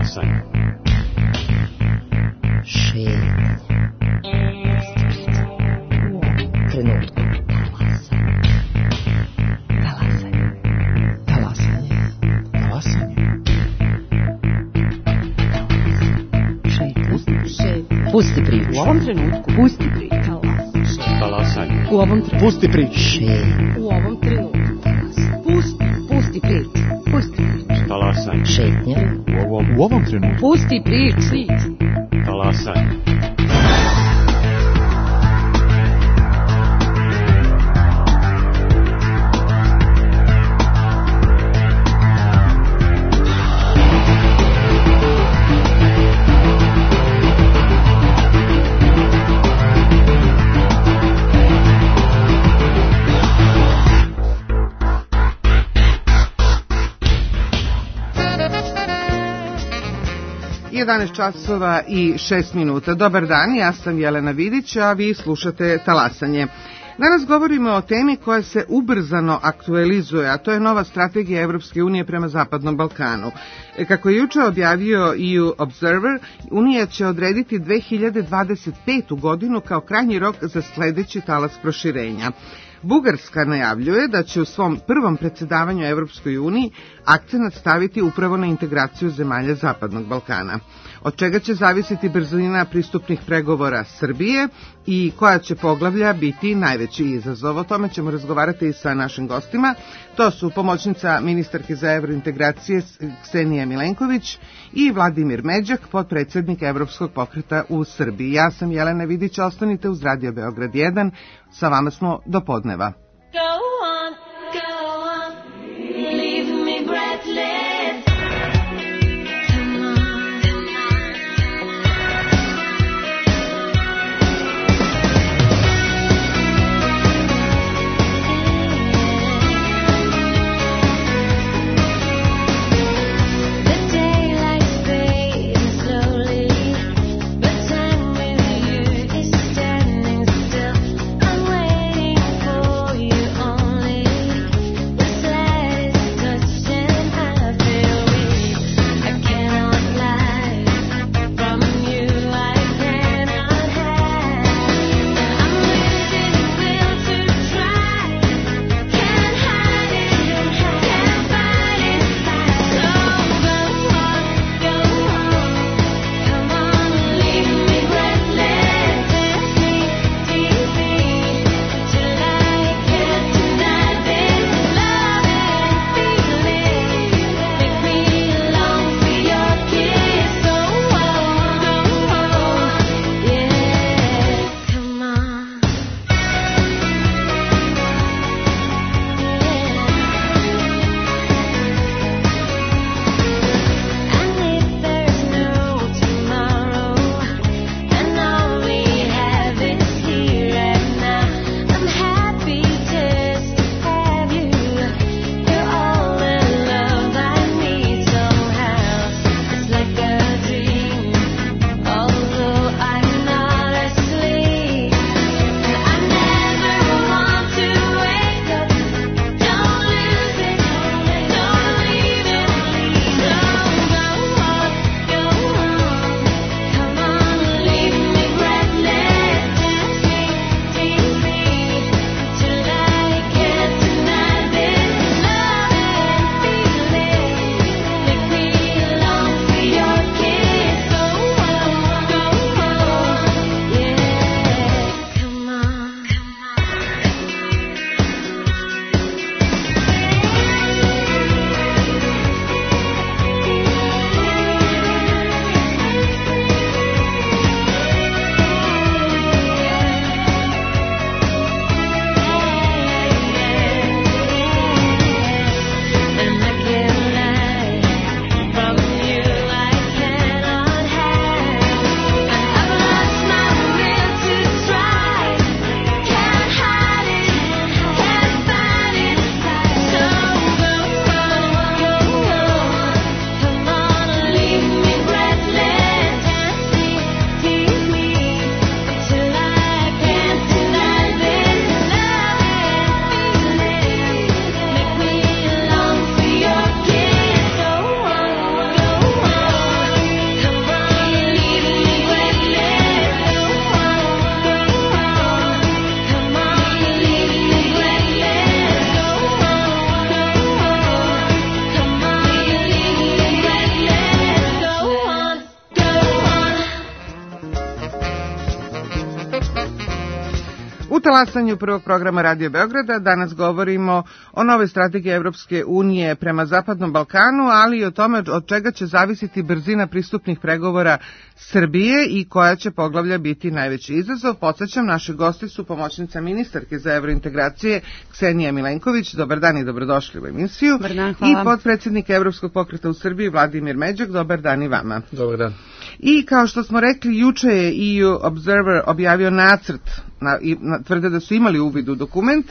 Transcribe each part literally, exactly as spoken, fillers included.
Talasanje. Šetnja. Trenutku. Talasanje. Talasanje. Talasanje. Šetnja. Pusti priču. U ovom trenutku. Pusti priču. Talasanje. U ovom trenutku. Pusti priču. Šetnja. U ovom trenutku. Pusti, pusti priču. Pusti priču. Talasanje. Šetnja. U ovom, u ovom trenutku. Pusti priču. Talasanje. jedanaest časova i šest minuta. Dobar dan, ja sam Jelena Vidić, a vi slušate Talasanje. Danas govorimo o temi koja se ubrzano aktualizuje, a to je nova strategija Evropske unije prema Zapadnom Balkanu. Kako je juče objavio E U Observer, Unija će odrediti dve hiljade dvadeset petu godinu kao krajnji rok za sledeći talas proširenja. Bugarska najavljuje da će u svom prvom predsjedavanju Evropskoj uniji akcenat staviti upravo na integraciju zemalja Zapadnog Balkana. Od čega će zavisiti brzina pristupnih pregovora Srbije i koja će poglavlja biti najveći izazov. O tome ćemo razgovarati i sa našim gostima. To su pomoćnica ministarke za evrointegracije Ksenija Milenković i Vladimir Međak, potpredsjednik Evropskog pokreta u Srbiji. Ja sam Jelena Vidić, ostanite uz Radio Beograd jedan, sa vama smo do podneva. Go on, go on, leave me breathless. On talasanju prvog programa Radio Beograda danas govorimo o novoj strategiji Evropske unije prema Zapadnom Balkanu, ali i o tome od čega će zavisiti brzina pristupnih pregovora Srbije i koja će poglavlja biti najveći izazov. Podsjećam, naši gosti su pomoćnica ministarke za evrointegracije Ksenija Milenković. Dobar dan i dobrodošli u emisiju. Dobar dan, hvala. I potpredsjednik Evropskog pokreta u Srbiji Vladimir Međak. Dobar dan i vama. Dobar dan. I kao što smo rekli, juče je E U Observer objavio nacrt, na, i, na, tvrde da su imali uvid u dokument.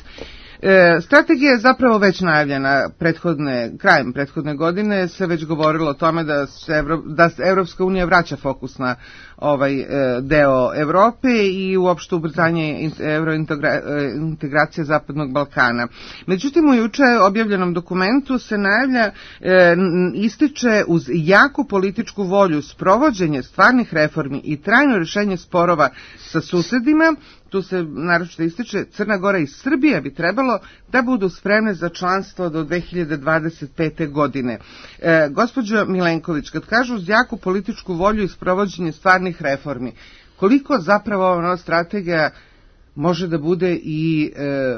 E, strategija je zapravo već najavljena prethodne, krajem prethodne godine, se već govorilo o tome da se, Evro, da se Evropska unija vraća fokus na ovaj e, deo Evrope i uopšte ubrzanje evrointegracije Zapadnog Balkana. Međutim, u juče objavljenom dokumentu se najavlja, e, ističe uz jaku političku volju sprovođenje stvarnih reformi i trajno rješenje sporova sa susedima. Tu se naročito ističe Crna Gora i Srbija bi trebalo da budu spremne za članstvo do dve hiljade dvadeset pete. godine. E, gospođo Milenković, kad kažu uz jaku političku volju i sprovođenje stvarnih reformi, koliko zapravo ova nova strategija može da bude i e,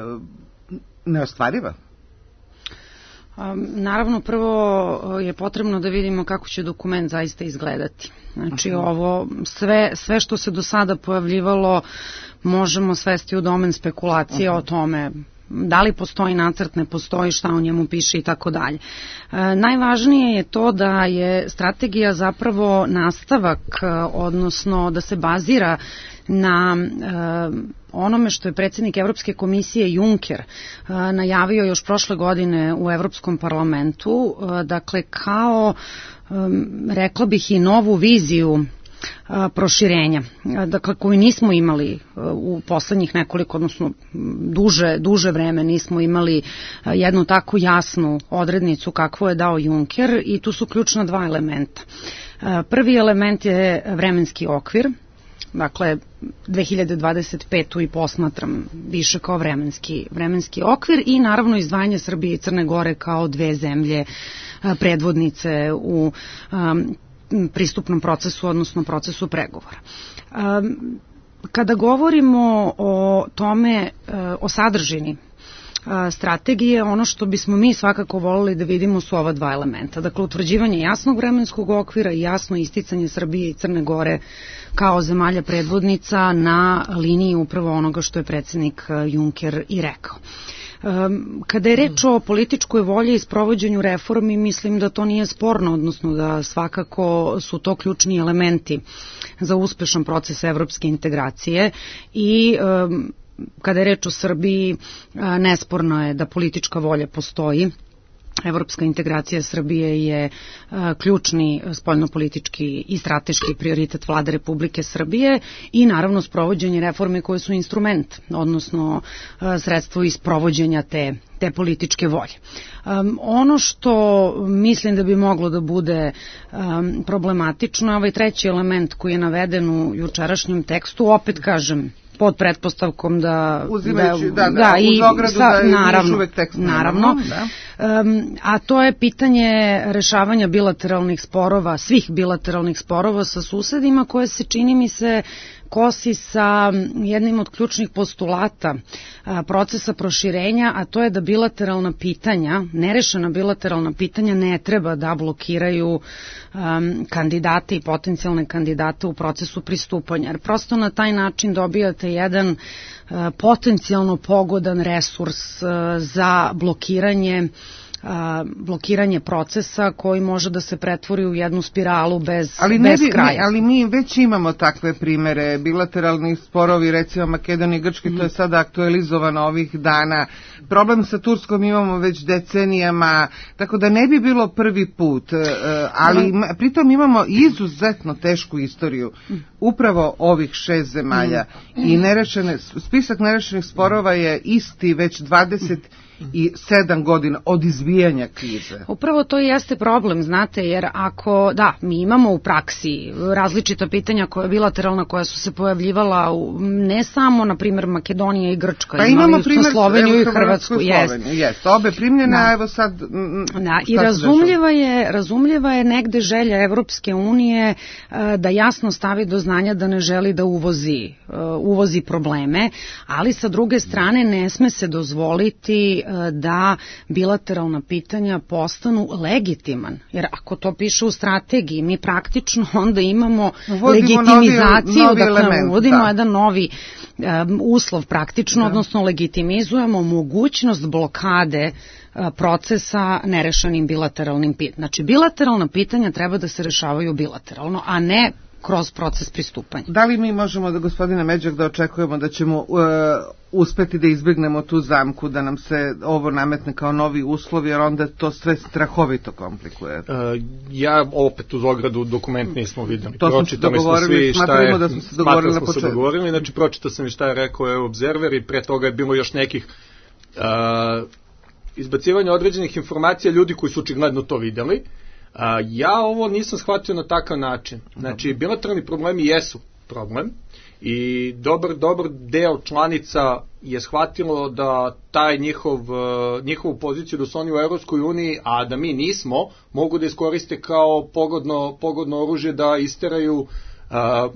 neostvariva? Naravno, prvo je potrebno da vidimo kako će dokument zaista izgledati. Znači, ovo sve, sve što se do sada pojavljivalo možemo svesti u domen spekulacije o tome da li postoji nacrt, ne postoji, šta u njemu piše i tako dalje. Najvažnije je to da je strategija zapravo nastavak, odnosno da se bazira na onome što je predsjednik Evropske komisije Juncker najavio još prošle godine u Evropskom parlamentu, dakle kao, rekla bih, i novu viziju proširenja, dakle koju nismo imali u poslednjih nekoliko, odnosno duže, duže vreme nismo imali jednu tako jasnu odrednicu kakvu je dao Juncker i tu su ključna dva elementa. Prvi element je vremenski okvir, dakle dve hiljade dvadeset petu i posmatram više kao vremenski, vremenski okvir i naravno izdvajanje Srbije i Crne Gore kao dve zemlje predvodnice u um, pristupnom procesu, odnosno procesu pregovora. Kada govorimo o tome, o sadržini strategije, ono što bismo mi svakako volili da vidimo su ova dva elementa. Dakle, utvrđivanje jasnog vremenskog okvira i jasno isticanje Srbije i Crne Gore kao zemalja predvodnica na liniji upravo onoga što je predsjednik Juncker i rekao. Kada je reč o političkoj volji i sprovođenju reformi, mislim da to nije sporno, odnosno da svakako su to ključni elementi za uspešan proces evropske integracije i kada je reč o Srbiji, nesporno je da politička volja postoji. Evropska integracija Srbije je a, ključni spoljnopolitički i strateški prioritet Vlade Republike Srbije i naravno sprovođenje reforme koje su instrument, odnosno a, sredstvo iz sprovođenja te, te političke volje. Um, ono što mislim da bi moglo da bude um, problematično, ovaj treći element koji je naveden u jučerašnjem tekstu, opet kažem, pod pretpostavkom da... Uzimajući, da, da, da, da i uz ogradu sa, da je naravno, uvek tekst. Naravno, da. Um, a to je pitanje rešavanja bilateralnih sporova, svih bilateralnih sporova sa susedima, koje se, čini mi se, kosi sa jednim od ključnih postulata a, procesa proširenja, a to je da bilateralna pitanja, nerešena bilateralna pitanja ne treba da blokiraju um, kandidate i potencijalne kandidate u procesu pristupanja. Jer prosto na taj način dobijate jedan uh, potencijalno pogodan resurs uh, za blokiranje A, blokiranje procesa koji može da se pretvori u jednu spiralu bez, ali ne bez bi, kraja. Ne, ali mi već imamo takve primere, bilateralni sporovi, recimo Makedonije i Grčke, mm. to je sada aktualizovano ovih dana. Problem sa Turskom imamo već decenijama, tako da ne bi bilo prvi put, ali mm. pritom imamo izuzetno tešku istoriju upravo ovih šest zemalja mm. i nerešene, spisak nerešenih sporova je isti već dvadeset i sedam godina od izbijanja krize. Upravo to i jeste problem, znate, jer ako, da, mi imamo u praksi različita pitanja koja je bilateralna, koja su se pojavljivala u, ne samo, na primjer, Makedonija i Grčka, pa imali imamo smo primjer, Sloveniju i evo, Hrvatsku, jest. Jest, obe primljene, da. a evo sad... M, da, i razumljiva je, razumljiva je negde želja Evropske unije da jasno stavi do znanja da ne želi da uvozi, uvozi probleme, ali sa druge strane ne sme se dozvoliti da bilateralna pitanja postanu legitiman. Jer ako to piše u strategiji, mi praktično onda imamo uvodimo legitimizaciju, novi, novi dakle element, uvodimo da. jedan novi um, uslov praktično, da. odnosno legitimizujemo mogućnost blokade procesa nerešanim bilateralnim pitanjem. Znači, bilateralna pitanja treba da se rešavaju bilateralno, a ne kroz proces pristupanja. Da li mi možemo, da gospodine Međak, da očekujemo da ćemo uh, uspeti da izbjegnemo tu zamku, da nam se ovo nametne kao novi uslov, jer onda to sve strahovito komplikuje? Uh, ja opet uz ogradu dokument nismo videli. To smo se dogovorili, smatramo da smo se dogovorili na početku. Dogovorili, znači pročitao sam i šta je rekao Observer i pre toga je bilo još nekih uh, izbacivanja određenih informacija ljudi koji su očigledno to videli. A, ja ovo nisam shvatio na takav način. Znači, bilateralni problemi jesu problem i dobar, dobar deo članica je shvatilo da taj njihov, njihovu poziciju da su oni u Evropskoj uniji, a da mi nismo, mogu da iskoriste kao pogodno, pogodno oružje da isteraju,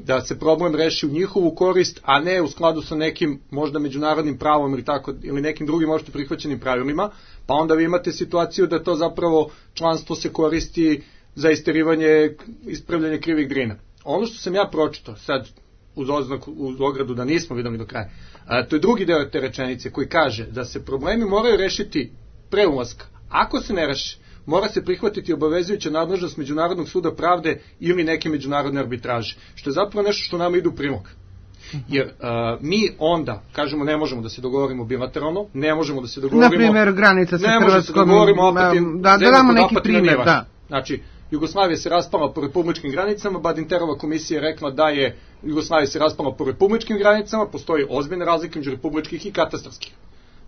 da se problem reši u njihovu korist, a ne u skladu sa nekim možda međunarodnim pravom ili, tako, ili nekim drugim možda prihvaćenim pravilima, pa onda vi imate situaciju da to zapravo članstvo se koristi za isterivanje, ispravljanje krivih drina. Ono što sam ja pročitao, sad uz oznaku, uz ogradu da nismo videli do kraja, a, to je drugi deo te rečenice koji kaže da se problemi moraju rešiti pre ulaska. Ako se ne reši, mora se prihvatiti obavezujuća nadležnost Međunarodnog suda pravde ili neke međunarodne arbitraže, što je zapravo nešto što nama ide u prilog. Jer uh, mi onda, kažemo, ne možemo da se dogovorimo bilateralno, ne možemo da se dogovorimo... Na primjer, granica sa ne Hrvatskom... Ne možemo da se dogovorimo opet... Da, da damo neki primjer, da. Znači, Jugoslavija se raspala po republičkim granicama, Badinterova komisija je rekla da je Jugoslavija se raspala po republičkim granicama, postoji ozbiljna razlika među republičkih i katastarskih.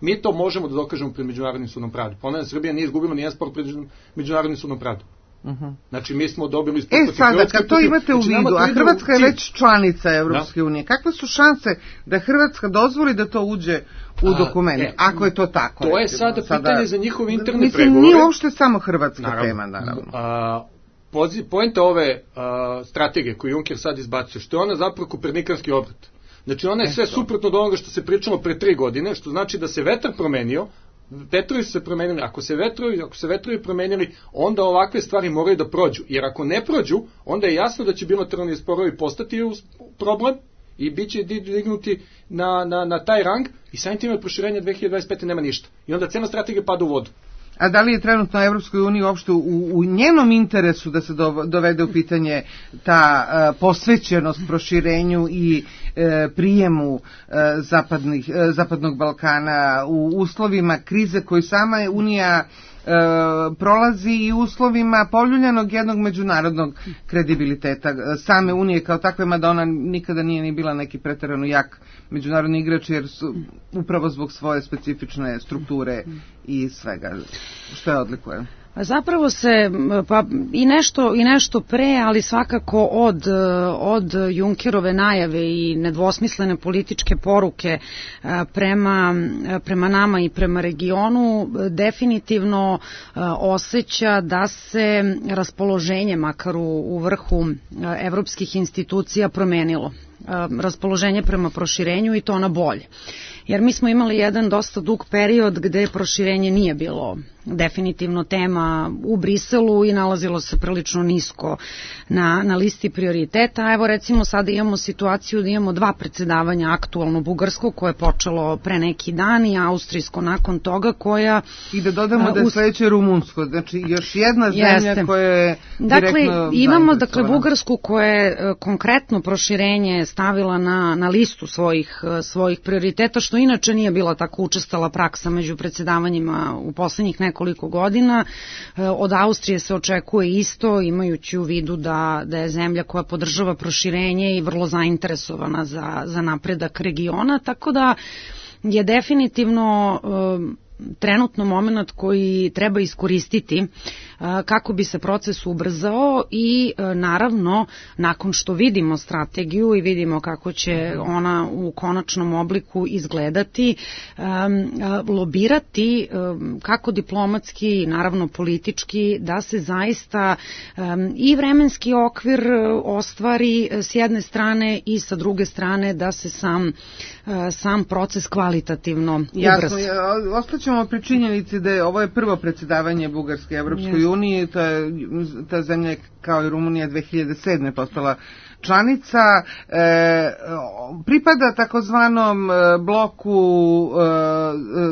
Mi to možemo da dokažemo pred Međunarodnim sudom pravde. Ponavljam, Srbija nije izgubila nijedan spor pred Međunarodnim sudom pravde. Uh-huh. Znači, mi smo dobili... E, sada, kad to imate u vidu, a Hrvatska je već članica Evropske unije, kakve su šanse da Hrvatska dozvoli da to uđe u dokument, a, e, ako je to tako? To je sada, sada pitanje za njihove interne mislim, pregovore. Nije uopšte samo hrvatska naravno, tema, naravno. A, pozi, poenta ove a, strategije koju Juncker sad izbacio, što je ona zapravo kopernikanski obrat. Znači, ona je sve suprotno od onoga što se pričalo pre tri godine, što znači da se vetar promenio, vetrovi su se promenili, ako se vetrovi, ako se vetrovi promenili, onda ovakve stvari moraju da prođu, jer ako ne prođu, onda je jasno da će bilateralni sporovi postati problem i bit će dignuti na, na, na taj rang i samim tim od proširenja dve hiljade dvadeset pete nema ništa. I onda cena strategija pada u vodu. A da li je trenutno Evropskoj uniji uopšte u, u njenom interesu da se do, dovede u pitanje ta uh, posvećenost proširenju i uh, prijemu uh, zapadnih, uh, Zapadnog Balkana u uslovima krize koju sama Unija uh, prolazi i uslovima poljuljanog jednog međunarodnog kredibiliteta same Unije kao takve, mada ona nikada nije ni bila neki preterano jak međunarodni igrač, jer su upravo zbog svoje specifične strukture i svega što je odlikuje. Zapravo se pa i nešto i nešto pre, ali svakako od od Junckerove najave i nedvosmislene političke poruke prema prema nama i prema regionu definitivno osjeća da se raspoloženje makar u, u vrhu evropskih institucija promenilo. Raspoloženje prema proširenju i to na bolje. Jer mi smo imali jedan dosta dug period gde proširenje nije bilo definitivno tema u Briselu i nalazilo se prilično nisko na, na listi prioriteta. A evo recimo sada imamo situaciju da imamo dva predsedavanja, aktualno bugarsko koje je počelo pre neki dan i austrijsko nakon toga koja... I da dodamo da je sledeće rumunsko, znači još jedna zemlja jeste. Koja je dakle, direktno... Imamo dakle Bugarsku koja je konkretno proširenje stavila na, na listu svojih, svojih prioriteta, što inače nije bila tako učestala praksa među predsedavanjima u poslednjih nekoliko godina. Od Austrije se očekuje isto, imajući u vidu da, da je zemlja koja podržava proširenje i vrlo zainteresovana za, za napredak regiona, tako da je definitivno trenutno moment koji treba iskoristiti kako bi se proces ubrzao i naravno nakon što vidimo strategiju i vidimo kako će ona u konačnom obliku izgledati, lobirati kako diplomatski, naravno politički, da se zaista i vremenski okvir ostvari s jedne strane i sa druge strane da se sam, sam proces kvalitativno ubrza. Jasno, ostaćemo pri činjenici da je ovo je prvo predsjedavanje Bugarske Evropskoj uniji, to je, ta zemlja je kao i Rumunija dve hiljade sedme postala članica, e, pripada takozvanom bloku e,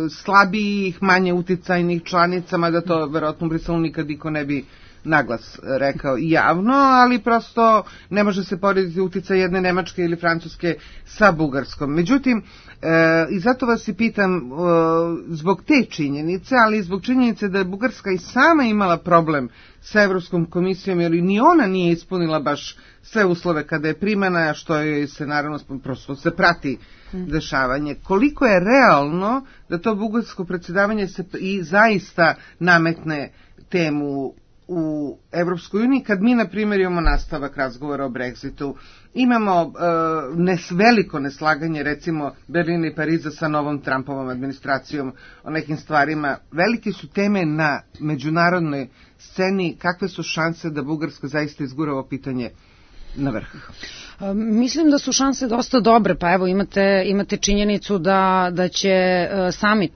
slabijih, manje uticajnih članica, mada to verovatno u Briselu nikad niko ne bi naglas rekao javno, ali prosto ne može se porediti uticaj jedne Nemačke ili Francuske sa Bugarskom. Međutim, e, i zato vas i pitam e, zbog te činjenice, ali i zbog činjenice da je Bugarska i sama imala problem sa Evropskom komisijom, jer ni ona nije ispunila baš sve uslove kada je primana, što je se naravno prosto se prati dešavanje. Koliko je realno da to bugarsko predsjedavanje se i zaista nametne temu u Evropskoj uniji, kad mi, na primjer, imamo nastavak razgovora o Brexitu, imamo uh, nes, veliko neslaganje, recimo, Berlina i Pariza sa novom Trumpovom administracijom o nekim stvarima. Velike su teme na međunarodnoj sceni. Kakve su šanse da Bugarska zaista izgura ovo pitanje na vrh? Mislim da su šanse dosta dobre, pa evo imate, imate činjenicu da, da će summit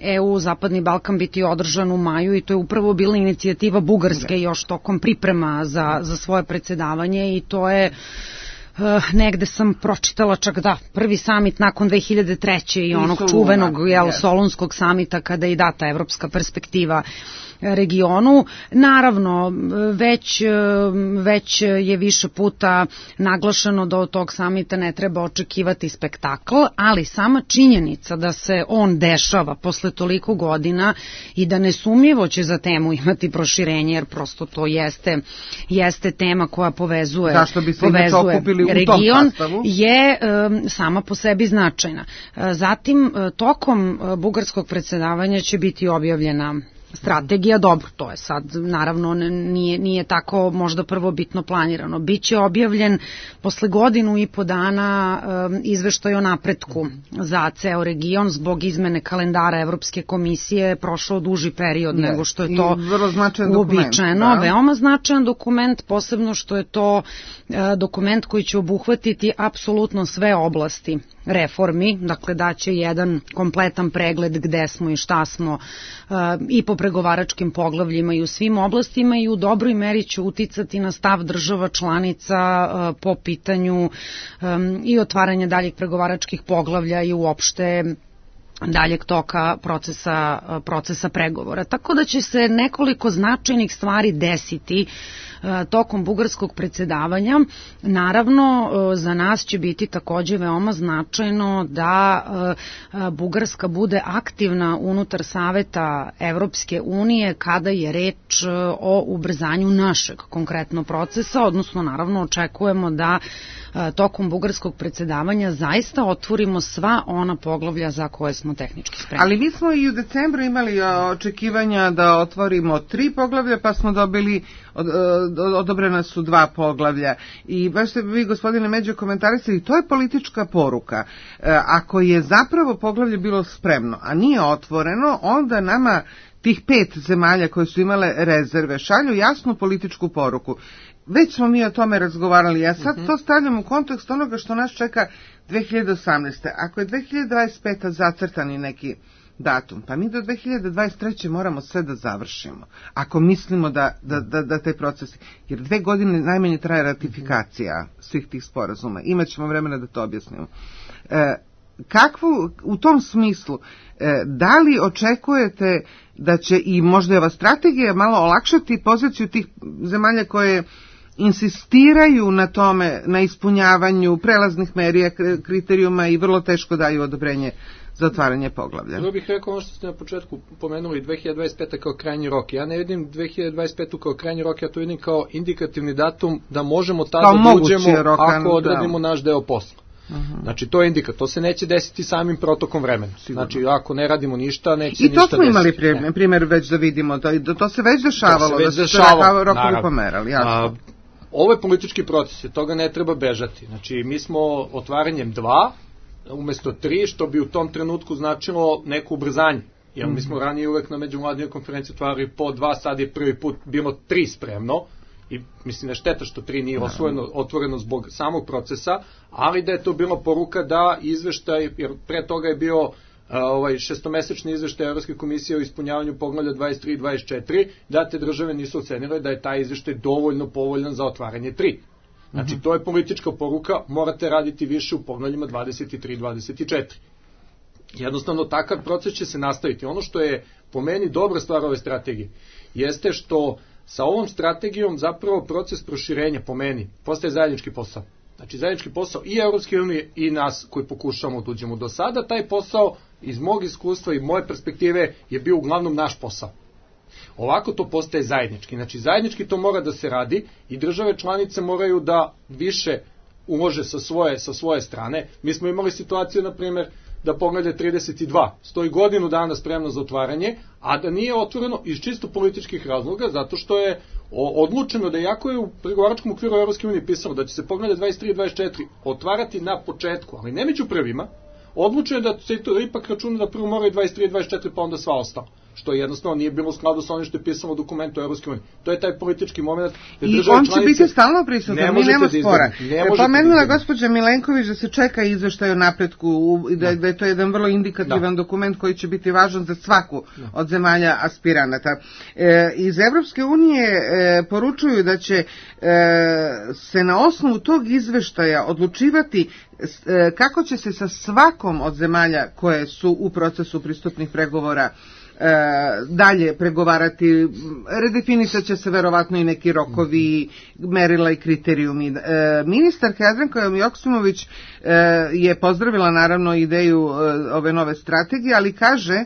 E U Zapadni Balkan biti održan u maju i to je upravo bila inicijativa Bugarske još tokom priprema za, za svoje predsjedavanje i to je Uh, negde sam pročitala čak da prvi samit nakon dve hiljade treće i onog I čuvenog jel, yes. Solunskog samita kada je i data evropska perspektiva regionu. Naravno, već, već je više puta naglašeno da od tog samita ne treba očekivati spektakl, ali sama činjenica da se on dešava posle toliko godina i da nesumnjivo će za temu imati proširenje, jer prosto to jeste, jeste tema koja povezuje, povezuje region, je um, sama po sebi značajna. Zatim, tokom bugarskog predsjedavanja će biti objavljena strategija, dobro, to je sad, naravno, nije, nije tako možda prvobitno planirano. Biće objavljen posle godinu i po dana um, izveštaj o napretku za ceo region, zbog izmene kalendara Evropske komisije, prošao duži period ne, nego što je to uobičajeno. Da. Veoma značajan dokument, posebno što je to uh, dokument koji će obuhvatiti apsolutno sve oblasti reformi, dakle daće jedan kompletan pregled gde smo i šta smo uh, i po pregovaračkim poglavljima i u svim oblastima i u dobroj meri će uticati na stav država članica uh, po pitanju um, i otvaranja daljih pregovaračkih poglavlja i uopšte daljeg toka procesa, procesa pregovora. Tako da će se nekoliko značajnih stvari desiti tokom bugarskog predsjedavanja. Naravno, za nas će biti takođe veoma značajno da Bugarska bude aktivna unutar Saveta Evropske unije kada je reč o ubrzanju našeg konkretno procesa, odnosno naravno očekujemo da tokom bugarskog predsjedavanja zaista otvorimo sva ona poglavlja za koje smo tehnički spremni. Ali mi smo i u decembru imali očekivanja da otvorimo tri poglavlja, pa smo dobili, od, odobrena su dva poglavlja. I baš ste vi, gospodine Međo, komentarisali, to je politička poruka. Ako je zapravo poglavlje bilo spremno, a nije otvoreno, onda nama tih pet zemalja koje su imale rezerve šalju jasnu političku poruku. Već smo mi o tome razgovarali, ja sad to stavljam u kontekst onoga što nas čeka dve hiljade osamnaeste. Ako je dve hiljade dvadeset peta zacrtani neki datum, pa mi do dve hiljade dvadeset treće moramo sve da završimo. Ako mislimo da, da, da, da te procesi, jer dve godine najmanje traje ratifikacija svih tih sporazuma. Imaćemo vremena da to objasnimo. E, kakvu, u tom smislu, e, da li očekujete da će i možda ova strategija malo olakšati poziciju tih zemalja koje insistiraju na tome, na ispunjavanju prelaznih merija, kriterijuma i vrlo teško daju odobrenje za otvaranje poglavlja? Ja bih rekao ono što ste na početku pomenuli, dve hiljade dvadeset peta kao krajnji rok. Ja ne vidim dve hiljade dvadeset petu kao krajnji rok, ja to vidim kao indikativni datum da možemo tada da uđemo rokan, ako odradimo da. naš deo posla. Znači, to je indikat, to se neće desiti samim protokom vremena. Sigurno. Znači, ako ne radimo ništa, neće I ništa to smo desiti. imali primjer, Ne. primjer već da vidimo, to, to se već dešavalo, To se već da su se dešavalo, rokovi rokovi naravno. pomerali, jasno. A, ovo je politički proces, od toga ne treba bežati. Znači, mi smo otvaranjem dva, umesto tri, što bi u tom trenutku značilo neko ubrzanje. Jer mi smo ranije uvek na međuvladinoj konferenciji otvarali po dva, sad je prvi put bilo tri spremno, i mislim da je šteta što tri nije osvojeno, otvoreno zbog samog procesa, ali da je to bila poruka da izveštaj, jer pre toga je bio a, ovaj šestomesečni izveštaj Evropske komisije o ispunjavanju poglavlja dvadeset tri i dvadeset četiri, da te države nisu ocenile da je taj izveštaj dovoljno povoljan za otvaranje tri. Znači, to je politička poruka, morate raditi više u poglavljima dvadeset tri i dvadeset četiri. Jednostavno, takav proces će se nastaviti. Ono što je po meni dobra stvar ove strategije, jeste što sa ovom strategijom zapravo proces proširenja, po meni, postaje zajednički posao. Znači, zajednički posao i Evropske unije i nas koji pokušavamo da uđemo. Do sada taj posao, iz mog iskustva i moje perspektive, je bio uglavnom naš posao. Ovako to postaje zajednički. Znači, zajednički to mora da se radi i države članice moraju da više ulože sa svoje, sa svoje strane. Mi smo imali situaciju, na primjer, da poglavlje trideset dva stoji godinu dana spremno za otvaranje, a da nije otvoreno iz čisto političkih razloga, zato što je odlučeno da, iako je u pregovaračkom okviru Evropske unije pisalo da će se poglavlje dvadeset tri i dvadeset četiri otvarati na početku, ali ne među prvima, odlučeno je da se to ipak računa da prvo moraju dvadeset tri i dvadeset četiri, pa onda sva ostalo, što jednostavno nije bilo u skladu sa onim što je pisalo u dokumentu Evropske unije. To je taj politički moment. I on će biti stalno prisutan, mi nema spora. Pomenula gospođa Milenković da se čeka izveštaj o napretku, da, da je to jedan vrlo indikativan da. dokument koji će biti važan za svaku da. od zemalja aspiranata. E, iz Evropske unije e, poručuju da će e, se na osnovu tog izveštaja odlučivati e, kako će se sa svakom od zemalja koje su u procesu pristupnih pregovora E, dalje pregovarati, redefinisat će se verovatno i neki rokovi, merila i kriterijumi. E, ministarka Jadranka Joksimović e, je pozdravila naravno ideju e, ove nove strategije, ali kaže e,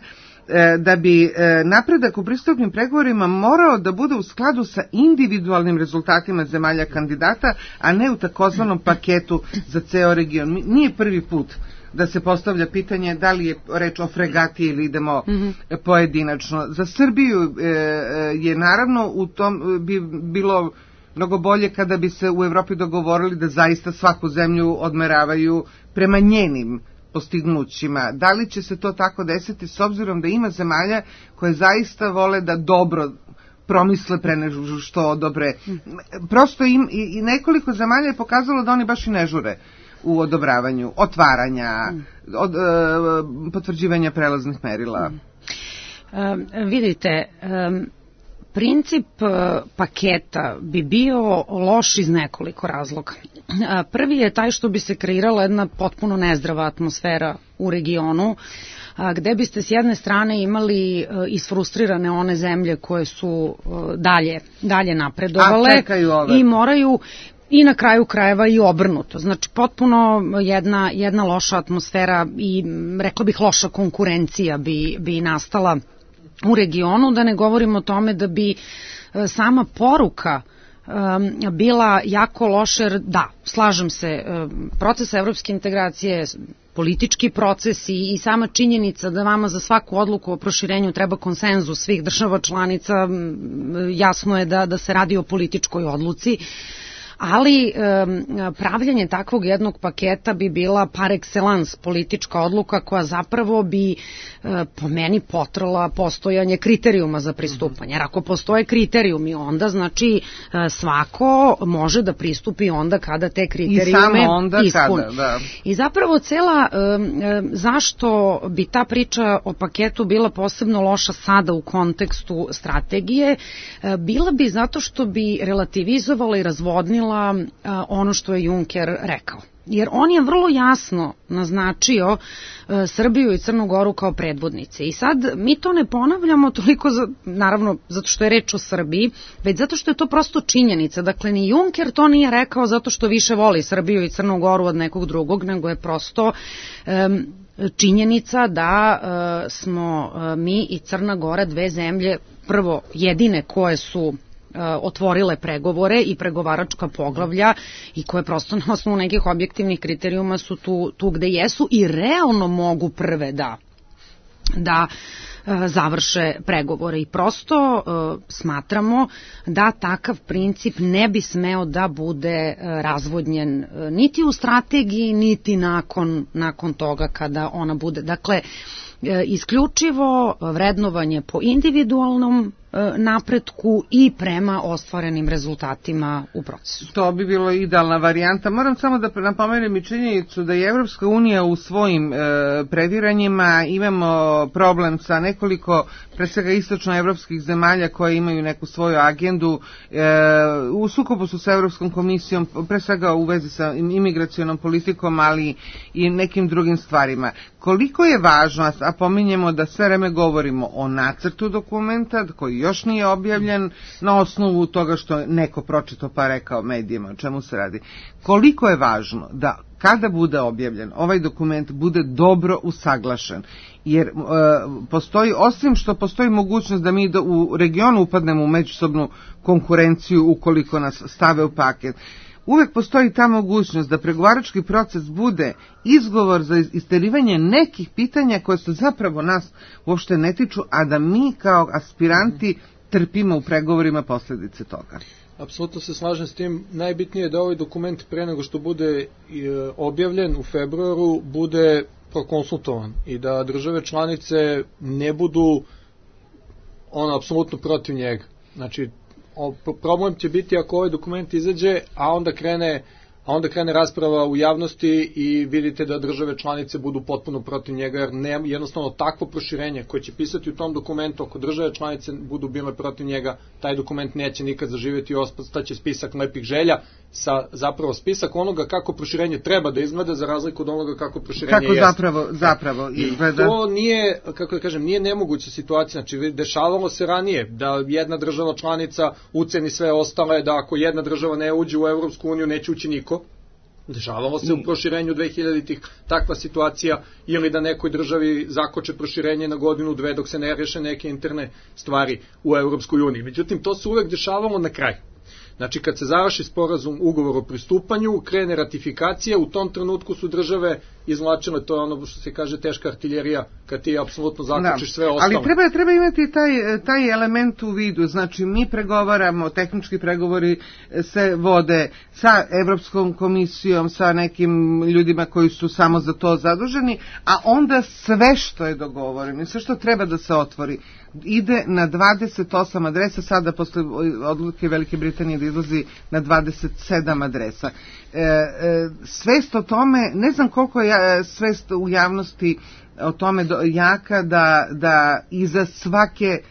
da bi e, napredak u pristupnim pregovorima morao da bude u skladu sa individualnim rezultatima zemalja kandidata, a ne u takozvanom paketu za ceo region. Nije prvi put da se postavlja pitanje da li je reč o fregati ili idemo mm-hmm. pojedinačno. Za Srbiju e, je naravno u tom bi bilo mnogo bolje kada bi se u Evropi dogovorili da zaista svaku zemlju odmeravaju prema njenim postignućima. Da li će se to tako desiti s obzirom da ima zemalja koje zaista vole da dobro promisle pre nego što odobre. Prosto im, i, i nekoliko zemalja je pokazalo da oni baš i ne žure u odobravanju, otvaranja, od, e, potvrđivanja prelaznih merila. Um, vidite, um, princip uh, paketa bi bio loš iz nekoliko razloga. Uh, prvi je taj što bi se kreirala jedna potpuno nezdrava atmosfera u regionu, a, gde biste s jedne strane imali uh, isfrustrirane one zemlje koje su uh, dalje, dalje napredovale i moraju i na kraju krajeva i obrnuto. Znači, potpuno jedna, jedna loša atmosfera i, rekla bih, loša konkurencija bi, bi nastala u regionu, da ne govorimo o tome da bi sama poruka um, bila jako loša, jer da, slažem se, um, proces evropske integracije, politički proces i, i sama činjenica da vama za svaku odluku o proširenju treba konsenzus svih država članica, jasno je da, da se radi o političkoj odluci, ali um, pravljanje takvog jednog paketa bi bila par excellence politička odluka koja zapravo bi uh, po meni potrala postojanje kriterijuma za pristupanje. Jer ako postoje kriterijumi, onda znači uh, svako može da pristupi onda kada te kriterijume ispuni. Kada, da. I zapravo cela, um, um, zašto bi ta priča o paketu bila posebno loša sada u kontekstu strategije, uh, bila bi zato što bi relativizovala i razvodnila ono što je Juncker rekao. Jer on je vrlo jasno naznačio uh, Srbiju i Crnu Goru kao predvodnice. I sad mi to ne ponavljamo toliko, za, naravno, zato što je reč o Srbiji, već zato što je to prosto činjenica. Dakle, ni Juncker to nije rekao zato što više voli Srbiju i Crnu Goru od nekog drugog, nego je prosto um, činjenica da uh, smo uh, mi i Crna Gora dve zemlje, prvo jedine koje su otvorile pregovore i pregovaračka poglavlja i koje prosto na osnovu nekih objektivnih kriterijuma su tu, tu gde jesu i realno mogu prve da da završe pregovore i prosto uh, smatramo da takav princip ne bi smeo da bude uh, razvodnjen uh, niti u strategiji, niti nakon, nakon toga kada ona bude. Dakle, uh, isključivo vrednovanje po individualnom napretku i prema ostvarenim rezultatima u procesu. To bi bilo idealna varijanta. Moram samo da napomenem i činjenicu da je Evropska unija u svojim e, previranjima imamo problem sa nekoliko, pre svega istočnoevropskih zemalja koje imaju neku svoju agendu. E, u sukobu su sa Evropskom komisijom, pre svega u vezi sa imigracionom politikom, ali i nekim drugim stvarima. Koliko je važno, a pominjemo da sve vreme govorimo o nacrtu dokumenta koji još nije objavljen na osnovu toga što neko pročitao pa rekao medijima o čemu se radi. Koliko je važno da kada bude objavljen ovaj dokument bude dobro usaglašen, jer e, postoji, osim što postoji mogućnost da mi do, u regionu upadnemo u međusobnu konkurenciju ukoliko nas stave u paket, uvek postoji ta mogućnost da pregovarački proces bude izgovor za isterivanje nekih pitanja koje se zapravo nas uopšte ne tiču, a da mi kao aspiranti trpimo u pregovorima posljedice toga. Apsolutno se slažem s tim. Najbitnije je da ovaj dokument pre nego što bude objavljen u februaru bude prokonsultovan i da države članice ne budu ono apsolutno protiv njega. Znači, problem će biti ako ovaj dokument izađe, a onda krene a onda krene rasprava u javnosti i vidite da države članice budu potpuno protiv njega, jer ne, jednostavno takvo proširenje koje će pisati u tom dokumentu, ako države članice budu bile protiv njega, taj dokument neće nikad zaživjeti i ostaće spisak lepih želja, sa zapravo spisak onoga kako proširenje treba da izgleda, za razliku od onoga kako proširenje kako jeste. zapravo, zapravo izgleda. I to nije, kako da kažem, nije nemoguća situacija, znači dešavalo se ranije da jedna država članica uceni sve ostale, da ako jedna država ne uđe u Evropsku uniju neće ući niko. Dešavalo se u proširenju dvehiljaditih takva situacija, ili da nekoj državi zakoče proširenje na godinu, dve, dok se ne reše neke interne stvari u Evropskoj uniji. Međutim, to se uvek dešavalo na kraju. Znači, kad se završi sporazum, ugovor o pristupanju, krene ratifikacija, u tom trenutku su države izvlačile, to je ono što se kaže teška artiljerija, kad ti apsolutno zaključiš sve ostalo. Ali treba, treba imati taj, taj element u vidu, znači mi pregovaramo, tehnički pregovori se vode sa Evropskom komisijom, sa nekim ljudima koji su samo za to zaduženi, a onda sve što je dogovoreno, sve što treba da se otvori, ide na dvadeset osam adresa, sada posle odluke Velike Britanije da izlazi na dvadeset sedam adresa. E, e, svest o tome, ne znam koliko je svest u javnosti o tome do, jaka da, da iza svake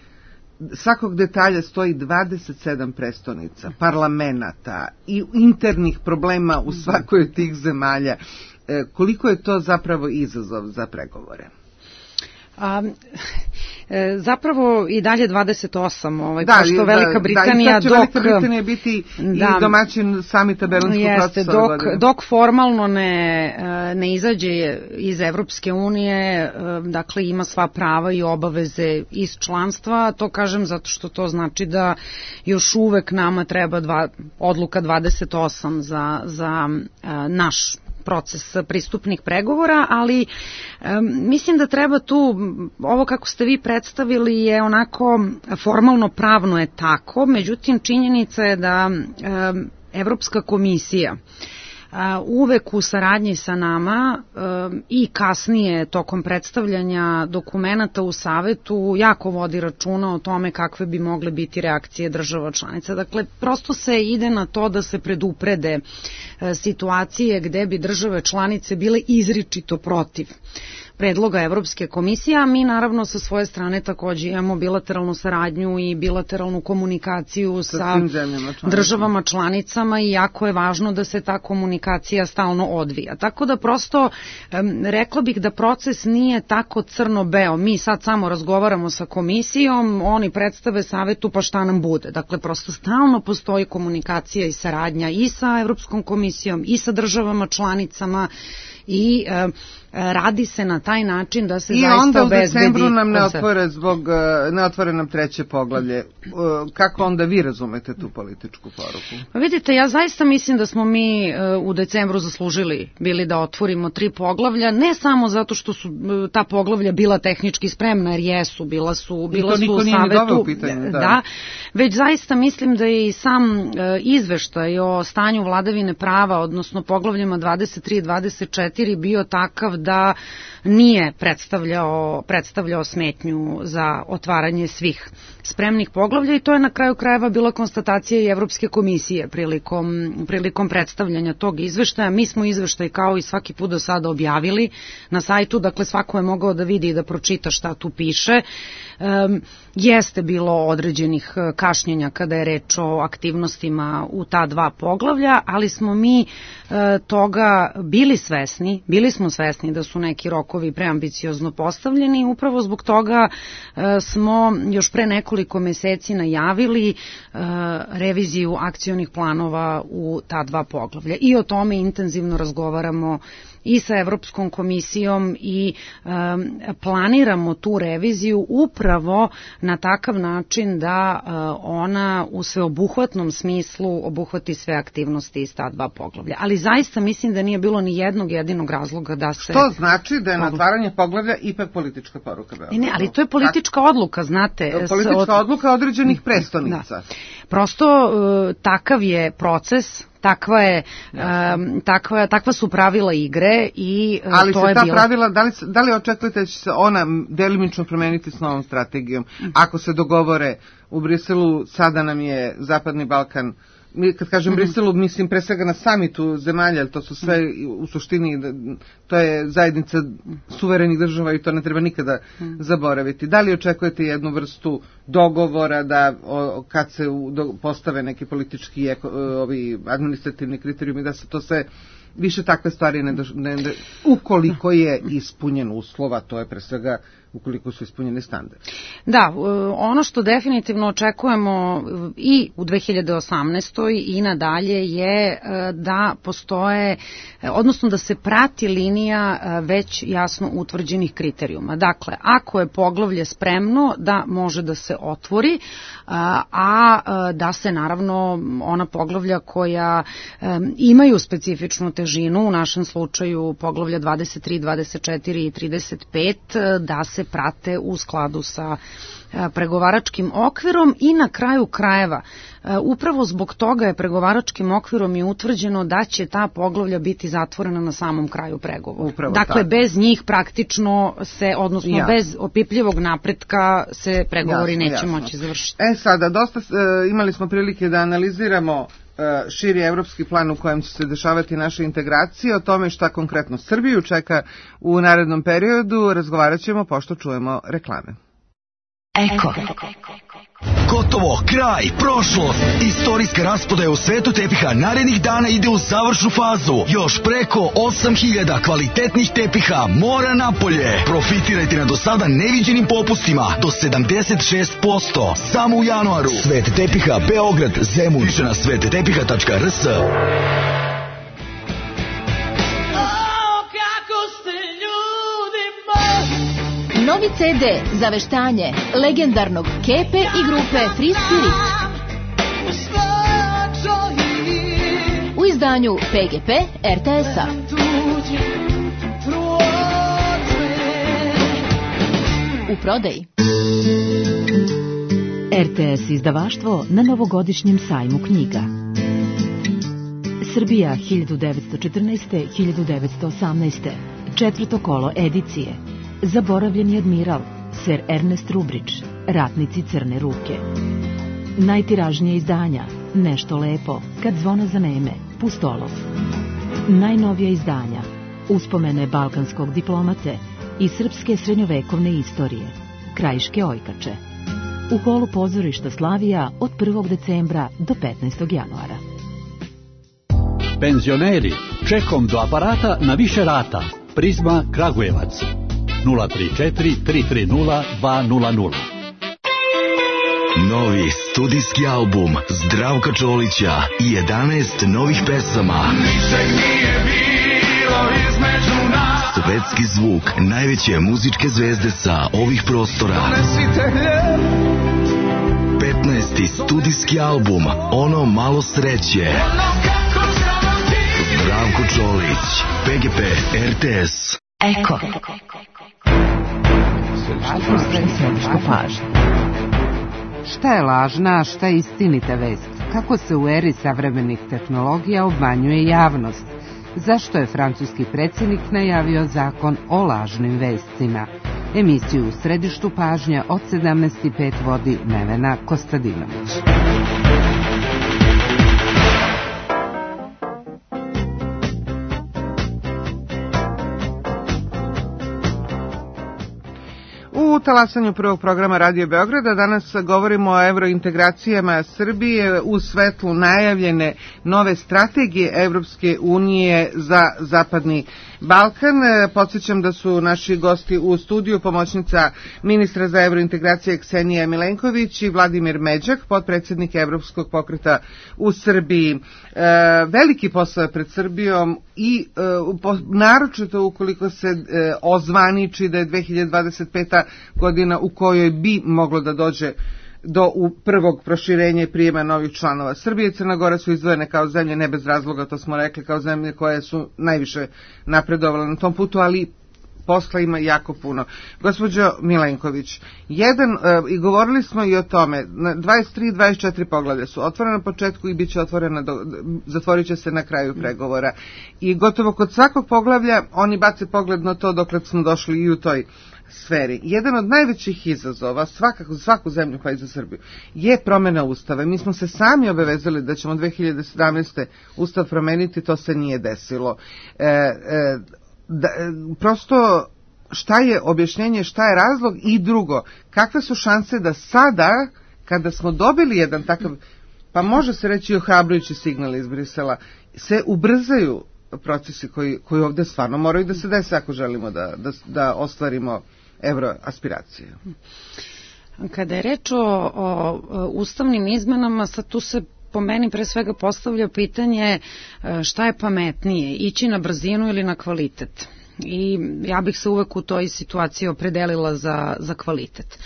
svakog detalja stoji dvadeset sedam prestonica, parlamenata i internih problema u svakoj od tih zemalja. E, koliko je to zapravo izazov za pregovore? A, e, zapravo i dalje dvadeset osam, ovaj, da, pošto Velika Britanija da, i sad će dok, Velika Britanija biti da, i domaćin samita Berlinskog procesa. Dok, dok formalno ne, ne izađe iz Evropske unije, dakle ima sva prava i obaveze iz članstva, to kažem zato što to znači da još uvek nama treba dva, odluka dvadeset osam za, za naš proces pristupnih pregovora, ali um, mislim da treba tu, ovo kako ste vi predstavili je onako formalno pravno je tako, međutim činjenica je da um, Evropska komisija uh, uvek u saradnji sa nama um, i kasnije tokom predstavljanja dokumenata u Savetu jako vodi računa o tome kakve bi mogle biti reakcije država članica. Dakle, prosto se ide na to da se preduprede situacije gde bi države članice bile izričito protiv predloga Evropske komisije, a mi naravno sa svoje strane takođe imamo bilateralnu saradnju i bilateralnu komunikaciju sa, sa državama članicama i jako je važno da se ta komunikacija stalno odvija. Tako da prosto rekla bih da proces nije tako crno-beo. Mi sad samo razgovaramo sa komisijom, oni predstave Savetu pa šta nam bude. Dakle, prosto stalno postoji komunikacija i saradnja i sa Evropskom komisijom i sa državama članicama i e, radi se na taj način da se I zaista onda u obezbedi decembru nam ne koncept. otvore zbog, e, ne otvore nam treće poglavlje. E, Kako onda vi razumete tu političku poruku? Pa vidite, ja zaista mislim da smo mi e, u decembru zaslužili bili da otvorimo tri poglavlja, ne samo zato što su e, ta poglavlja bila tehnički spremna, jer jesu, bila su, bila to su niko u nije ni doveo savetu, u pitanje, da. da, već zaista mislim da je i sam e, izveštaj o stanju vladavine prava, odnosno poglavljima dvadeset tri i dvadeset četiri bio takav da nije predstavljao, predstavljao smetnju za otvaranje svih spremnih poglavlja i to je na kraju krajeva bila konstatacija i Evropske komisije prilikom, prilikom predstavljanja tog izveštaja. Mi smo izveštaj kao i svaki put do sada objavili na sajtu, dakle svako je mogao da vidi i da pročita šta tu piše. Um, jeste bilo određenih kašnjenja kada je reč o aktivnostima u ta dva poglavlja, ali smo mi uh, toga bili svesni, bili smo svesni da su neki rokovi preambiciozno postavljeni i upravo zbog toga uh, smo još pre nekoliko meseci najavili uh, reviziju akcionih planova u ta dva poglavlja i o tome intenzivno razgovaramo i sa Evropskom komisijom i um, planiramo tu reviziju upravo na takav način da uh, ona u sveobuhvatnom smislu obuhvati sve aktivnosti iz ta dva poglavlja. Ali zaista mislim da nije bilo ni jednog jedinog razloga da se... Što znači da je na otvaranje poglavlja ipak politička poruka Beogradu? Ne, ne, ali to je politička odluka, znate. Politička odluka određenih prestonica. Da. Prosto uh, takav je proces, takva je um, takva takva su pravila igre i uh, ali to je ta bilo. pravila, da li da li očekujete da će se ona delimično promeniti s novom strategijom? Ako se dogovore u Briselu, sada nam je Zapadni Balkan, mi kad kažem mm-hmm. Briselu, mislim pre svega na samitu zemalja, ali to su sve u suštini, to je zajednica suverenih država i to ne treba nikada mm. zaboraviti. Da li očekujete jednu vrstu dogovora da o, kad se u, do, postave neki politički eko, ovi administrativni kriterijumi, da se to sve više takve stvari ne, ne, ne ukoliko je ispunjen uslova, to je pre svega ukoliko su ispunjeni standardi. Da, ono što definitivno očekujemo i u dve hiljade osamnaestoj i nadalje je da postoje, odnosno da se prati linija već jasno utvrđenih kriterijuma. Dakle, ako je poglavlje spremno, da može da se otvori, a da se naravno ona poglavlja koja imaju specifičnu težinu, u našem slučaju poglavlja dvadeset tri, dvadeset četiri i trideset pet, da se prate u skladu sa pregovaračkim okvirom i na kraju krajeva. Upravo zbog toga je pregovaračkim okvirom i utvrđeno da će ta poglavlja biti zatvorena na samom kraju pregovora. Upravo dakle, tako. Bez njih praktično se, odnosno jasno. Bez opipljivog napretka se pregovori jasno, neće jasno. moći završiti. E sada, dosta e, imali smo prilike da analiziramo e, širi evropski plan u kojem će se dešavati naše integracije, o tome šta konkretno Srbiju čeka u narednom periodu, razgovarat ćemo pošto čujemo reklame. Eko. Gotovo, kraj, prošlost. Istorijska rasprodaja u svetu tepiha narednih dana ide u završnu fazu. Još preko osam hiljada kvalitetnih tepiha mora napolje. Profitirajte na do sada neviđenim popustima do sedamdeset šest posto. Samo u januaru. Svet tepiha Beograd, Zemun. Više na svet tepiha tačka r s. Novi ce de za veštanje legendarnog Kepe i grupe Free Spirit. U izdanju pe ge pe er te es-a. U prodaji. er te es izdavaštvo na novogodišnjem sajmu knjiga. Srbija hiljadu devetsto četrnaeste do hiljadu devetsto osamnaeste. Četvrto kolo edicije. Zaboravljeni admiral, ser Ernest Rubrić, Ratnici crne ruke. Najtiražnije izdanja, Nešto lepo, Kad zvona zaneme, Pustolov. Najnovija izdanja, Uspomene balkanskog diplomate i srpske srednjovekovne istorije, Krajiške ojkače. U holu pozorišta Slavija od prvog decembra do petnaestog januara. Penzioneri, čekom do aparata na više rata. Prizma Kragujevac. nula tri četiri tri tri nula dva nula nula. Novi studijski album Zdravka Čolića i jedanaest novih pesama. Ničeg nije bilo Svetski zvuk najveće muzičke zvezde sa ovih prostora. petnaesti studijski album Ono malo sreće. Zdravko Čolić, P G P, R T S. Eko. Središta pažnje. Šta je lažna, a šta je istinita vest? Kako se u eri savremenih tehnologija obmanjuje javnost? Zašto je francuski predsjednik najavio zakon o lažnim vestima? Emisiju u središtu pažnje od sedamnaest i pet vodi Nevena Kostadinović. U talasanju prvog programa Radio Beograda danas govorimo o evrointegracijama Srbije u svetlu najavljene nove strategije Evropske unije za Zapadni Balkan. Podsjećam da su naši gosti u studiju pomoćnica ministra za evrointegracije Ksenija Milenković i Vladimir Međak, potpredsjednik Evropskog pokreta u Srbiji. E, veliki posao je pred Srbijom i e, po, naročito ukoliko se e, ozvaniči da je dve hiljade dvadeset peta godina u kojoj bi moglo da dođe do u prvog proširenja i prijema novih članova. Srbija i Crna Gora su izdvojene kao zemlje, ne bez razloga, to smo rekli, kao zemlje koje su najviše napredovale na tom putu, ali posla ima jako puno. Gospođo Milenković, jedan, e, i govorili smo i o tome, dvadeset tri dvadeset četiri poglavlja su otvorena na početku i bit će otvorena, do, zatvorit će se na kraju pregovora. I gotovo kod svakog poglavlja oni bace pogled na to dokle smo došli i u toj sferi. Jedan od najvećih izazova svakako za svaku zemlju pa i za Srbiju je promjena ustava. Mi smo se sami obavezali da ćemo dve hiljade sedamnaeste ustav promeniti, to se nije desilo. E, e, da, prosto šta je objašnjenje, šta je razlog i drugo, kakve su šanse da sada kada smo dobili jedan takav, pa može se reći i ohrabrujući signal iz Brisela, se ubrzaju procesi koji, koji ovdje stvarno moraju da se dese ako želimo da, da, da ostvarimo evroaspiracije. Kada je reč o, o ustavnim izmenama, sad tu se po meni pre svega postavlja pitanje šta je pametnije, ići na brzinu ili na kvalitet. I ja bih se uvek u toj situaciji opredelila za, za kvalitet.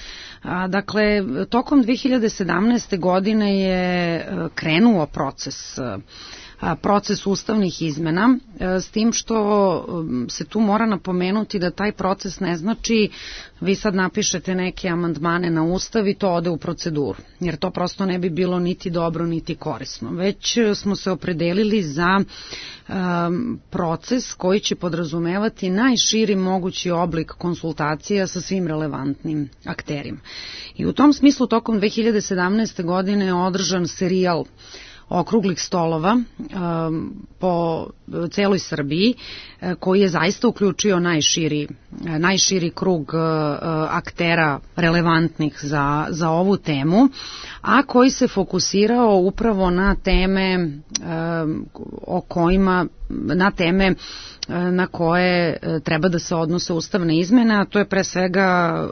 A, dakle, tokom dve hiljade sedamnaeste. godine je krenuo proces proces ustavnih izmena, s tim što se tu mora napomenuti da taj proces ne znači vi sad napišete neke amandmane na ustav i to ode u proceduru, jer to prosto ne bi bilo niti dobro niti korisno. Već smo se opredelili za um, proces koji će podrazumevati najširi mogući oblik konsultacija sa svim relevantnim akterima. I u tom smislu tokom dve hiljade sedamnaeste. godine je održan serijal okruglih stolova um, po celoj Srbiji, koji je zaista uključio najširi, najširi krug uh, aktera relevantnih za, za ovu temu, a koji se fokusirao upravo na teme um, o kojima, na teme na koje treba da se odnose ustavne izmene, a to je pre svega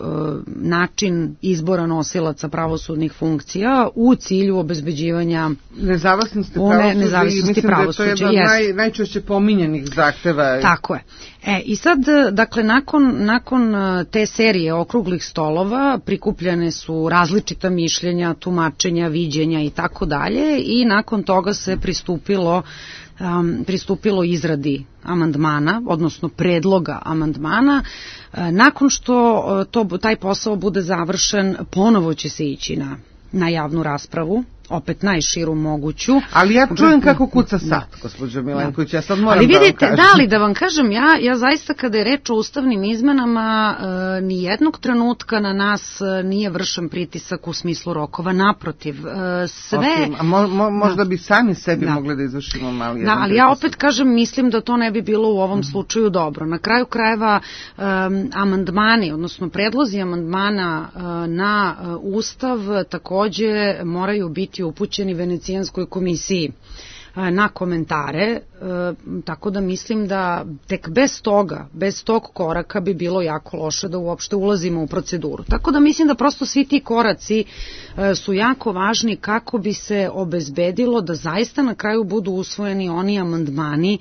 način izbora nosilaca pravosudnih funkcija u cilju obezbeđivanja nezavisnosti pravosuđa. Nezavisnosti pravosuđa, mislim da je to jedan naj, najčešće pominjenih zahteva. Tako je. E, i sad, dakle, nakon, nakon te serije okruglih stolova prikupljene su različita mišljenja, tumačenja, viđenja i tako dalje, i nakon toga se pristupilo Um, pristupilo izradi amandmana, odnosno predloga amandmana. E, nakon što to, taj posao bude završen, ponovo će se ići na, na javnu raspravu, opet najširu moguću. Ali ja čujem kako kuca sad, gospođo Milenković, ja sad moram ali vidite, da vam kažem. Da, ali da vam kažem, ja, ja zaista kada je reč o ustavnim izmenama, e, ni jednog trenutka na nas nije vršen pritisak u smislu rokova, naprotiv. E, sve... Okay, a mo, mo, možda da. bi sami sebi da. mogli da izvršimo mali jedan da, ali pritisak. Ja opet kažem, mislim da to ne bi bilo u ovom mm. slučaju dobro. Na kraju krajeva, e, amandmani, odnosno predlozi amandmana e, na e, ustav takođe moraju biti upućeni Venecijanskoj komisiji na komentare, tako da mislim da tek bez toga, bez tog koraka bi bilo jako loše da uopšte ulazimo u proceduru. Tako da mislim da prosto svi ti koraci su jako važni kako bi se obezbedilo da zaista na kraju budu usvojeni oni amandmani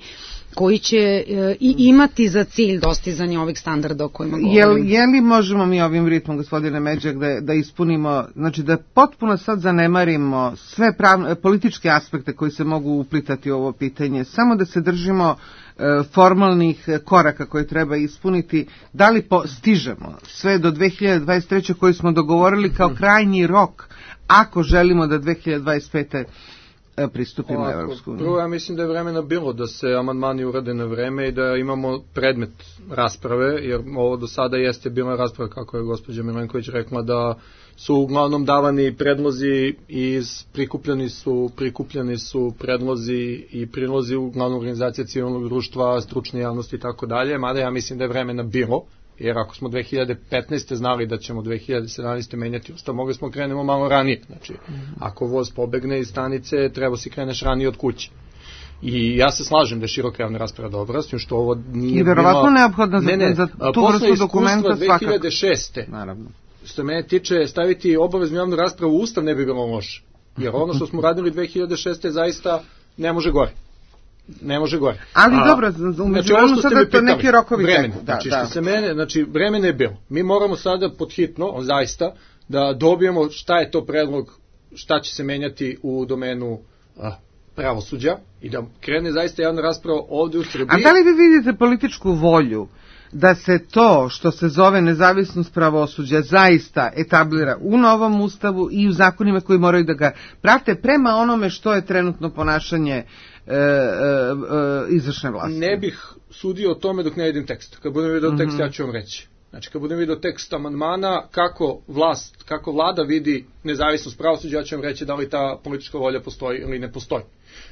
koji će e, i imati za cilj dostizanje ovih standarda o kojima govorim. Jel, je li možemo mi ovim ritmom, gospodine Međak, da, da ispunimo, znači da potpuno sad zanemarimo sve pravne, političke aspekte koji se mogu uplitati u ovo pitanje, samo da se držimo e, formalnih koraka koje treba ispuniti, da li po, stižemo sve do dve hiljade dvadeset treće koji smo dogovorili kao krajnji rok, ako želimo da dve hiljade dvadeset pete pristupimo Ovako, Evropsku uniju? Prvo, ja mislim da je vremena bilo da se amandmani urade na vreme i da imamo predmet rasprave, jer ovo do sada jeste bila rasprava, kako je gospođa Milenković rekla, da su uglavnom davani predlozi i prikupljeni su, prikupljeni su predlozi i prilozi uglavnom organizacija civilnog društva, stručne javnosti i tako dalje, mada ja mislim da je vremena bilo, jer ako smo dve hiljade petnaeste znali da ćemo dve hiljade sedamnaeste menjati ustav, mogli smo krenemo malo ranije. Znači, ako voz pobegne iz stanice, treba si kreneš ranije od kuće. I ja se slažem da je široka javna rasprava dobra, s tim što ovo nije... I verovatno bilo... neophodno za, ne, ne, za tu vrstu dokumenta dve hiljade šeste. Naravno. Što mene tiče, staviti obaveznu javnu raspravu u ustav ne bi bilo loše. Jer ono što smo radili dve hiljade šeste zaista ne može gore. Ne može gore. Ali A, dobro, umeđu vremenu znači, sada to neki rokovi vremena, teku. Da, znači, da. što se mene, znači, vremena je bilo. Mi moramo sada podhitno, zaista, da dobijemo šta je to predlog, šta će se menjati u domenu a, pravosuđa i da krene zaista javna rasprava ovde u Srbiji. A da li vi vidite političku volju da se to što se zove nezavisnost pravosuđa zaista etablira u novom ustavu i u zakonima koji moraju da ga prate prema onome što je trenutno ponašanje e, e, e, izvršne vlasti? Ne bih sudio o tome dok ne vidim tekst. Kad budem vidio tekst, mm-hmm. ja ću vam reći. Znači, kad budem vidio tekst amandmana, kako vlast, kako vlada vidi nezavisnost pravosuđa, ja ću vam reći da li ta politička volja postoji ili ne postoji.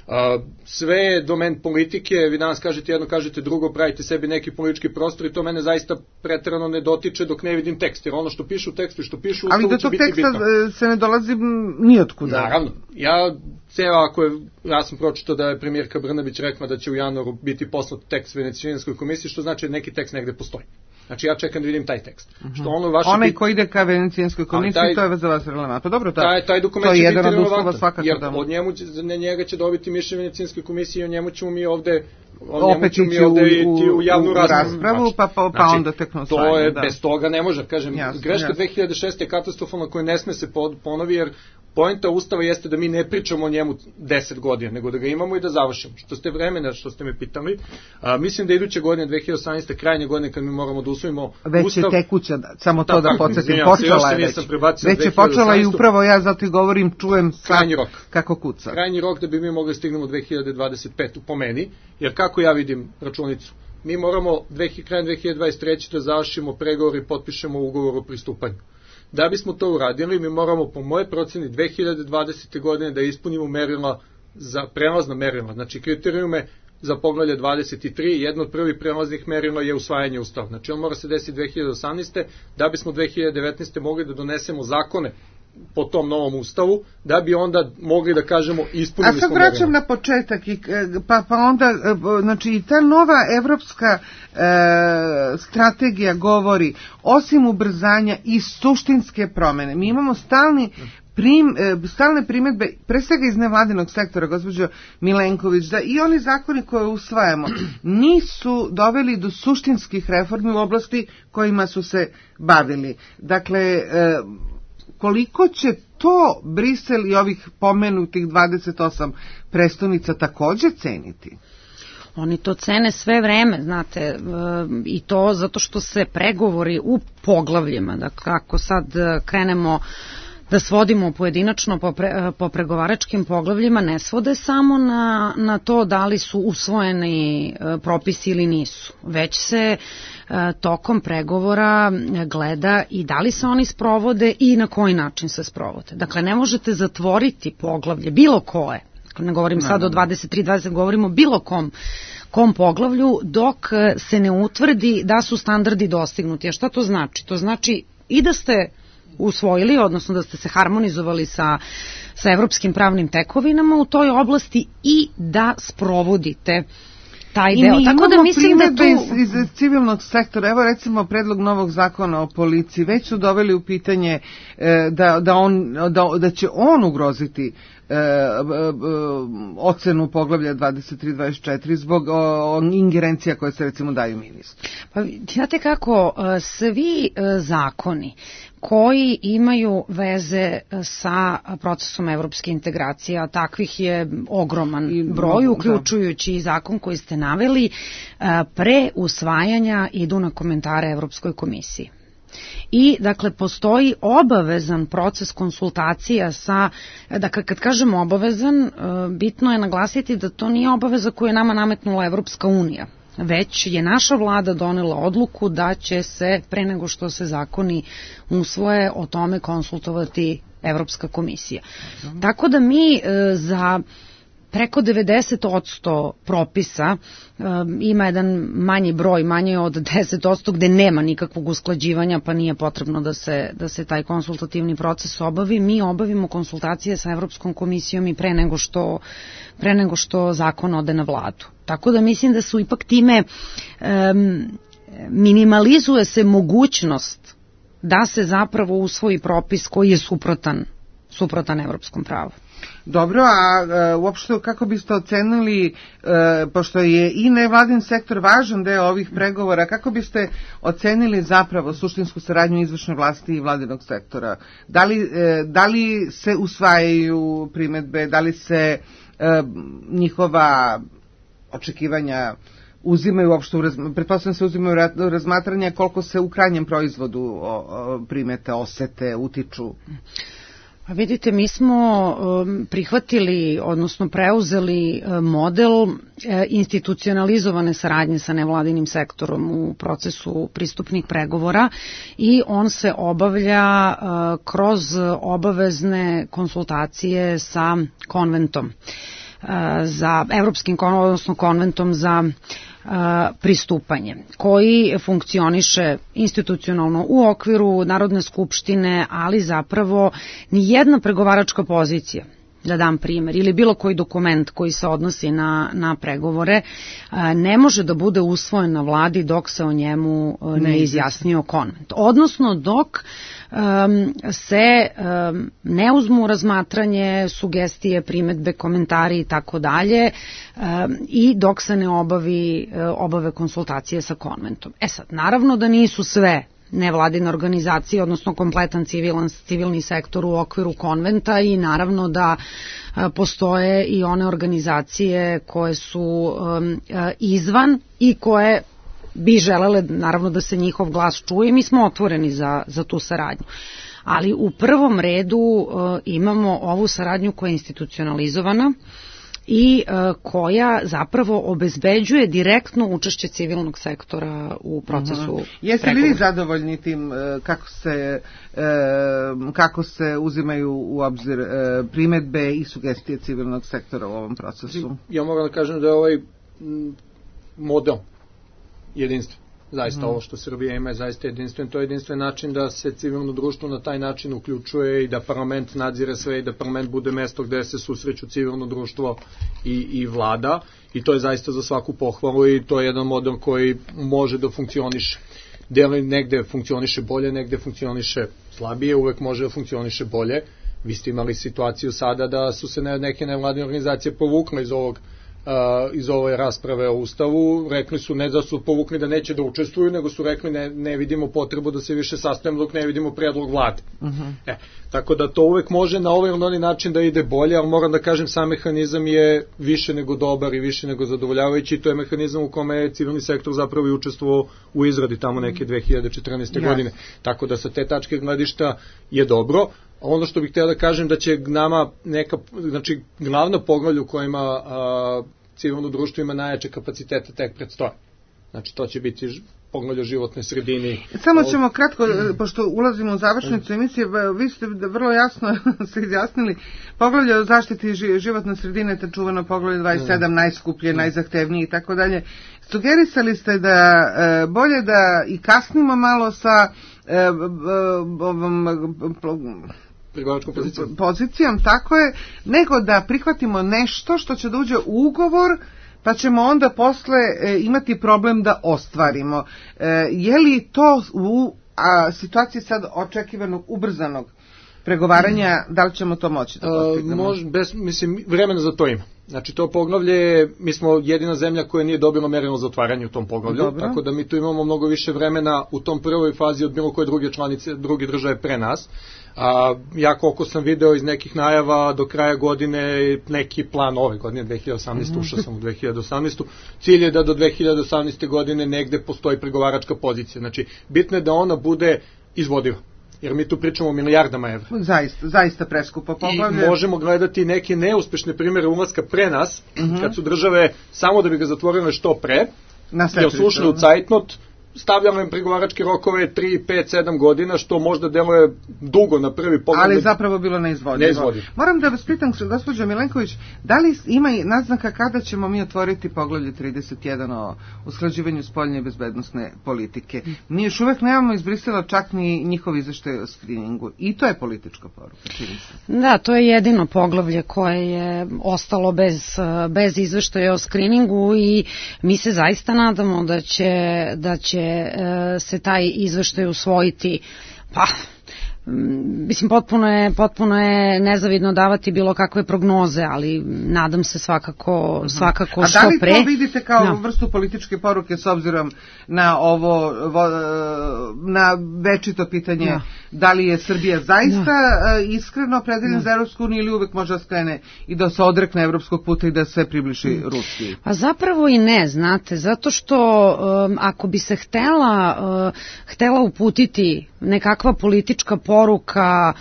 Uh, sve je domen politike, vi danas kažete jedno, kažete drugo, pravite sebi neki politički prostor i to mene zaista preterano ne dotiče dok ne vidim tekst, jer ono što piše u tekstu i što piše u ustavu će biti bitno. Ali do tog teksta se ne dolazi nijotkuda. Naravno, ja, ceo, ako je, ja sam pročitao da je premijerka Brnabić rekla da će u januaru biti poslat tekst Venecijanskoj komisiji, što znači da neki tekst negde postoji. Znači ja čekam da vidim taj tekst. Uh-huh. Što ono vaše Onaj bit... koji ide ka Venecijanskoj komisiji, taj, to je za vas relevantno. Dobro, taj, taj, taj dokument to će je biti relevantan, jer da... od njemu, ne, njega će dobiti mišljenje Venecijanske komisije i o njemu ćemo mi ovde opet ići u, u, u javnu raspravu, raspravu pa, pa, pa znači, onda tekno svajno. To je, da. Bez toga ne može, kažem, jasno, greška jasno. dve hiljade šeste je katastrofalna koja ne sme se ponovi, jer poenta Ustava jeste da mi ne pričamo o njemu deset godina, nego da ga imamo i da završimo. Što ste vremena, što ste me pitali, a, mislim da iduće godine, dve hiljade osamnaeste, krajnje godine, kad mi moramo da usvojimo već Ustav... Već je tekuća, samo to da podsjetim, počela je već. Već je počela i upravo ja zato i govorim, čujem krajnji rok. Kako kuca. Krajnji rok da bi mi mogli stignemo dve hiljade dvadeset pete po meni, jer kako ja vidim računicu, mi moramo krajem dve hiljade dvadeset treće da završimo pregovor i potpišemo ugovor o pristupanju. Da bismo to uradili, mi moramo po moje proceni dve hiljade dvadesete godine da ispunimo merila za prelazna merila, znači kriterijume za poglavlje dvadeset tri, jedno od prvih prelaznih merila je usvajanje ustava. Znači on mora se desiti dve hiljade osamnaeste da bismo dve hiljade devetnaeste mogli da donesemo zakone po tom novom ustavu, da bi onda mogli da kažemo ispunili smo merila. A sad vraćam na početak, i, pa, pa onda, znači i ta nova evropska e, strategija govori, osim ubrzanja i suštinske promene, mi imamo stalni Prim, stalne primedbe, pre svega iz nevladinog sektora, gospođo Milenković, da i oni zakoni koje usvajamo nisu doveli do suštinskih reformi u oblasti kojima su se bavili. Dakle, koliko će to Brisel i ovih pomenutih dvadeset osam prestonica takođe ceniti? Oni to cene sve vreme, znate, e, i to zato što se pregovori u poglavljima, dakle, ako sad krenemo da svodimo pojedinačno po, pre, po pregovaračkim poglavljima, ne svode samo na, na to da li su usvojeni e, propisi ili nisu, već se e, tokom pregovora gleda i da li se oni sprovode i na koji način se sprovode. Dakle, ne možete zatvoriti poglavlje, bilo koje, ne govorim sad o dvadeset tri dvadeset, govorimo o bilo kom, kom poglavlju, dok se ne utvrdi da su standardi dostignuti. A šta to znači? To znači i da ste usvojili, odnosno da ste se harmonizovali sa, sa evropskim pravnim tekovinama u toj oblasti i da sprovodite taj I deo. mi Tako da mislim da tu... iz, iz civilnog sektora, evo recimo predlog novog zakona o policiji, već su doveli u pitanje e, da, da, on, da, da će on ugroziti e, e, ocenu poglavlja dvadeset tri dvadeset četiri zbog o, ingerencija koje se recimo daju ministru? Pa znate kako, svi zakoni koji imaju veze sa procesom evropske integracije, a takvih je ogroman broj, uključujući i zakon koji ste naveli, pre usvajanja idu na komentare Evropskoj komisiji. I, dakle, postoji obavezan proces konsultacija sa, dakle, kad kažemo obavezan, bitno je naglasiti da to nije obaveza koju je nama nametnula Evropska unija, već je naša vlada donela odluku da će se, pre nego što se zakoni usvoje, o tome konsultovati Evropska komisija. Mm. Tako da mi e, za preko devedeset posto propisa e, ima jedan manji broj, manje od deset posto gde nema nikakvog usklađivanja, pa nije potrebno da se, da se taj konsultativni proces obavi. Mi obavimo konsultacije sa Evropskom komisijom i pre nego što, pre nego što zakon ode na vladu. Tako da mislim da su ipak time um, minimalizuje se mogućnost da se zapravo usvoji propis koji je suprotan, suprotan evropskom pravu. Dobro, a e, uopšte kako biste ocenili, e, pošto je i nevladin sektor važan deo ovih pregovora, kako biste ocenili zapravo suštinsku saradnju izvršne vlasti i vladinog sektora? Da li, e, da li se usvajaju primedbe, da li se e, njihova očekivanja uzimaju uopšte, pretpostavljam se uzimaju u razmatranje, koliko se u krajnjem proizvodu o, o, primete, osete, utiču? Pa vidite, mi smo um, prihvatili, odnosno preuzeli um, model um, institucionalizovane saradnje sa nevladinim sektorom u procesu pristupnih pregovora i on se obavlja uh, kroz obavezne konsultacije sa konventom. za Evropskim, odnosno konventom za pristupanje, koji funkcioniše institucionalno u okviru Narodne skupštine, ali zapravo ni jedna pregovaračka pozicija, da dam primer, ili bilo koji dokument koji se odnosi na, na pregovore, ne može da bude usvojen na vladi dok se o njemu ne izjasnio konvent. Odnosno dok um, se um, ne uzmu u razmatranje sugestije, primedbe, komentari i tako dalje i dok se ne obavi, obave konsultacije sa konventom. E sad, naravno da nisu sve nevladine organizacije, odnosno kompletan civilan, civilni sektor u okviru konventa i naravno da a, postoje i one organizacije koje su um, a, izvan i koje bi želele naravno da se njihov glas čuje. Mi smo otvoreni za, za tu saradnju. Ali u prvom redu uh, imamo ovu saradnju koja je institucionalizovana i uh, koja zapravo obezbeđuje direktno učešće civilnog sektora u procesu uh-huh. Jeste li vi zadovoljni tim uh, kako se uh, kako se uzimaju u obzir uh, primedbe i sugestije civilnog sektora u ovom procesu? Ja moram da kažem da je ovaj model jedinstven. Zaista mm. ovo što Srbija ima je zaista jedinstven. To je jedinstven način da se civilno društvo na taj način uključuje i da parlament nadzire sve i da parlament bude mesto gde se susreću civilno društvo i, i vlada. I to je zaista za svaku pohvalu i to je jedan model koji može da funkcioniše. Deli negde funkcioniše bolje, negde funkcioniše slabije, uvek može da funkcioniše bolje. Vi ste imali situaciju sada da su se neke nevladine organizacije povukle iz ovog Uh, iz ove rasprave o Ustavu, rekli su ne da su povukli da neće da učestvuju, nego su rekli ne, ne vidimo potrebu da se više sastavimo dok ne vidimo predlog vlade. Uh-huh. E, tako da to uvek može na ovaj ili onaj način da ide bolje, ali moram da kažem sam mehanizam je više nego dobar i više nego zadovoljavajući i to je mehanizam u kome je civilni sektor zapravo i učestvovao u izradi tamo neke dve hiljade četrnaeste. Yes. godine. Tako da sa te tačke gledišta je dobro. Ono što bih htio da kažem da će nama neka, znači glavna poglavlja u kojima a, civilno društvo ima najjače kapacitete tek predstoje. Znači to će biti poglavlja životne sredine. Samo ćemo kratko, pošto ulazimo u završnicu emisije, vi ste vrlo jasno se izjasnili, poglavlja o zaštiti životne sredine, te čuvano poglavlje dvadeset sedam, najskuplje, najzahtevnije i tako dalje. Sugerisali ste da e, bolje da i kasnimo malo sa e, ovom pozicijom. pozicijom, tako je, nego da prihvatimo nešto što će da uđe u ugovor, pa ćemo onda posle e, imati problem da ostvarimo. E, je li to u a, situaciji sad očekivanog ubrzanog pregovaranja, da li ćemo to moći da postignemo? Mož, bez, mislim, vremena za to ima. Znači, to poglavlje, mi smo jedina zemlja koja nije dobila merilo za otvaranje u tom poglavlju, dobro. Tako da mi tu imamo mnogo više vremena u tom prvoj fazi od bilo koje druge članice, druge države pre nas. A, ja koliko sam video iz nekih najava do kraja godine, neki plan ove godine, dve hiljade osamnaeste. ušao sam u dve hiljade osamnaeste. Cilj je da do dve hiljade osamnaeste. godine negde postoji pregovaračka pozicija. Znači, bitno je da ona bude izvodiva. Jer mi tu pričamo o milijardama evra. Zaista, zaista preskupo poglavlje. I možemo gledati neke neuspešne primere ulaska pre nas, uh-huh. kad su države, samo da bi ga zatvorile što pre, jer su ušli u cajtnot, stavljamo im pregovaračke rokove tri, pet, sedam godina, što možda deluje dugo na prvi pogled. Ali zapravo bilo neizvodljivo. neizvodljivo. Moram da vas pitam, gospođo Milenković, da li ima naznaka kada ćemo mi otvoriti poglavlje trideset jedan o usklađivanju spoljne i bezbednosne politike? Mi još uvek nemamo iz Brisela čak ni njihov izveštaj o skriningu. I to je politička poruka. Da, to je jedino poglavlje koje je ostalo bez, bez izveštaja o skriningu i mi se zaista nadamo da će, da će se taj izveštaj usvojiti, pa mislim potpuno je, potpuno je nezavidno davati bilo kakve prognoze, ali nadam se svakako, svakako što pre. A da li to vidite kao no. vrstu političke poruke s obzirom na ovo, na večito pitanje, no. da li je Srbija zaista no. iskreno opredeljena no. za Evropsku uniju ili uvek može da skrene i da se odrekne evropskog puta i da se približi no. Rusiji? Pa zapravo i ne, znate, zato što um, ako bi se htela, uh, htela uputiti nekakva politička poruka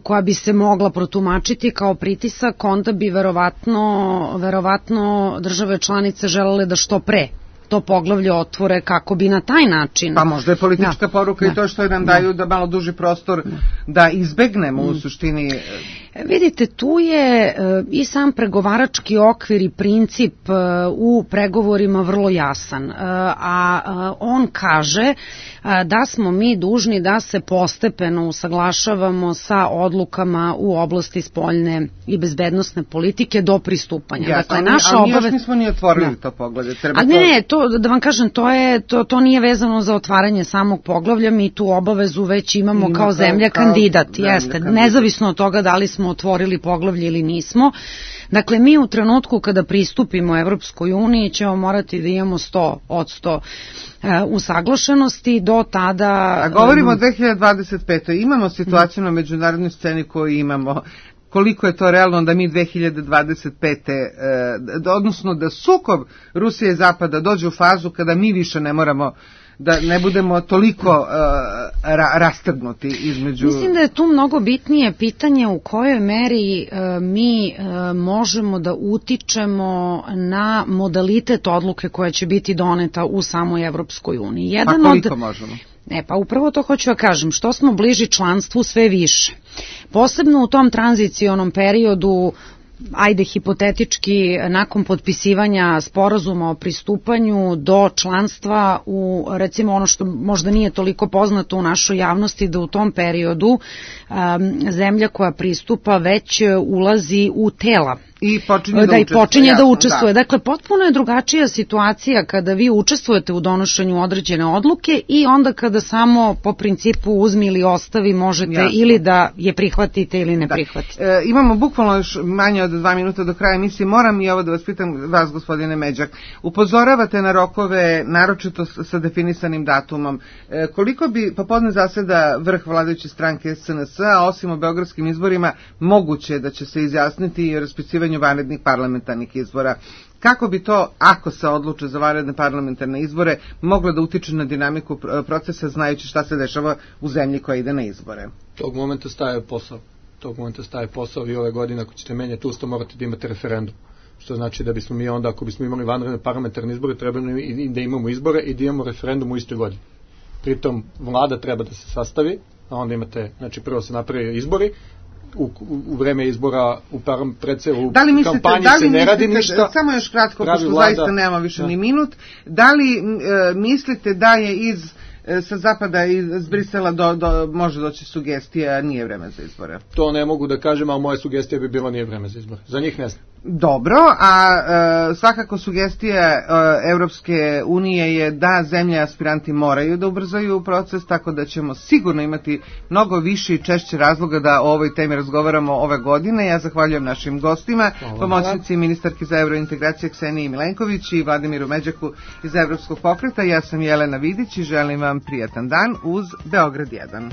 koja bi se mogla protumačiti kao pritisak, onda bi verovatno, verovatno države članice želele da što pre to poglavlje otvore kako bi na taj način... Pa možda je politička da, poruka da, i to što nam da. daju da malo duži prostor da, da izbegnemo mm. u suštini... Vidite, tu je i sam pregovarački okvir i princip u pregovorima vrlo jasan, a on kaže da smo mi dužni da se postepeno usaglašavamo sa odlukama u oblasti spoljne i bezbednosne politike do pristupanja. Ja, dakle, naša ali obave... još nismo ni otvorili no. to poglavlje. Treba a ne, ne, to, da vam kažem, to, je, to, to nije vezano za otvaranje samog poglavlja, mi tu obavezu već imamo Ima kao zemlja kao, kandidat, kao jeste, kandidat. Nezavisno od toga da li smo otvorili poglavlje ili nismo. Dakle, mi u trenutku kada pristupimo Evropskoj uniji ćemo morati da imamo sto odsto usaglašenosti, do tada... A govorimo o dve hiljade dvadeset petoj. Imamo situaciju na međunarodnoj sceni koju imamo. Koliko je to realno da mi dve hiljade dvadeset pete. odnosno da sukob Rusije i Zapada dođe u fazu kada mi više ne moramo da ne budemo toliko uh, ra, rastrgnuti između... Mislim da je tu mnogo bitnije pitanje u kojoj meri uh, mi uh, možemo da utičemo na modalitet odluke koja će biti doneta u samoj Evropskoj uniji. Jedan pa koliko od... možemo? E, pa upravo to hoću da kažem, što smo bliži članstvu sve više. Posebno u tom tranzicionom periodu, ajde hipotetički, nakon potpisivanja sporazuma o pristupanju do članstva u, recimo ono što možda nije toliko poznato u našoj javnosti, da u tom periodu um, zemlja koja pristupa već ulazi u tela. I počinje da, da, i učestvuje, počinje jasno, da učestvuje. Da. Dakle, potpuno je drugačija situacija kada vi učestvujete u donošenju određene odluke i onda kada samo po principu uzmi ili ostavi možete jasno. Ili da je prihvatite ili ne da. prihvatite. E, imamo bukvalno još manje od dva minuta do kraja emisije. Moram i ovo da vas pitam, vas gospodine Međak. Upozoravate na rokove, naročito sa definisanim datumom. E, koliko bi popodne zaseda vrh vladajuće stranke S N S, a osim o beogradskim izborima, moguće da će se izjasniti i raspisivanju vanrednih parlamentarnih izbora. Kako bi to, ako se odluče za vanredne parlamentarne izbore, moglo da utiče na dinamiku procesa, znajući šta se dešava u zemlji koja ide na izbore? Tog momenta staje posao. Tog momenta staje posao i ove godine, ako ćete menjati ustav, morate da imate referendum. Što znači da bismo mi onda, ako bismo imali vanredne parlamentarne izbore, trebali i da imamo izbore i da imamo referendum u istoj godini. Pritom, vlada treba da se sastavi, a onda imate, znači prvo se napravi izbori, U, u vreme izbora u parom predsevu da li mislite, kampanji da li se ne radi mislite, ništa. Samo još kratko, pošto vlada, zaista nema više da. ni minut. Da li e, mislite da je iz e, sa zapada iz Brisela do, do, može doći sugestija, nije vreme za izbore? To ne mogu da kažem, ali moja sugestija bi bila nije vreme za izbore. Za njih ne znam. Dobro, a e, svakako sugestija e, Evropske unije je da zemlje aspiranti moraju da ubrzaju proces, tako da ćemo sigurno imati mnogo više i češće razloga da o ovoj temi razgovaramo ove godine. Ja zahvaljujem našim gostima, pomoćnici ministarke za evrointegracije Kseniji Milenković i Vladimiru Međaku iz Evropskog pokreta. Ja sam Jelena Vidić i želim vam prijatan dan uz Beograd jedan.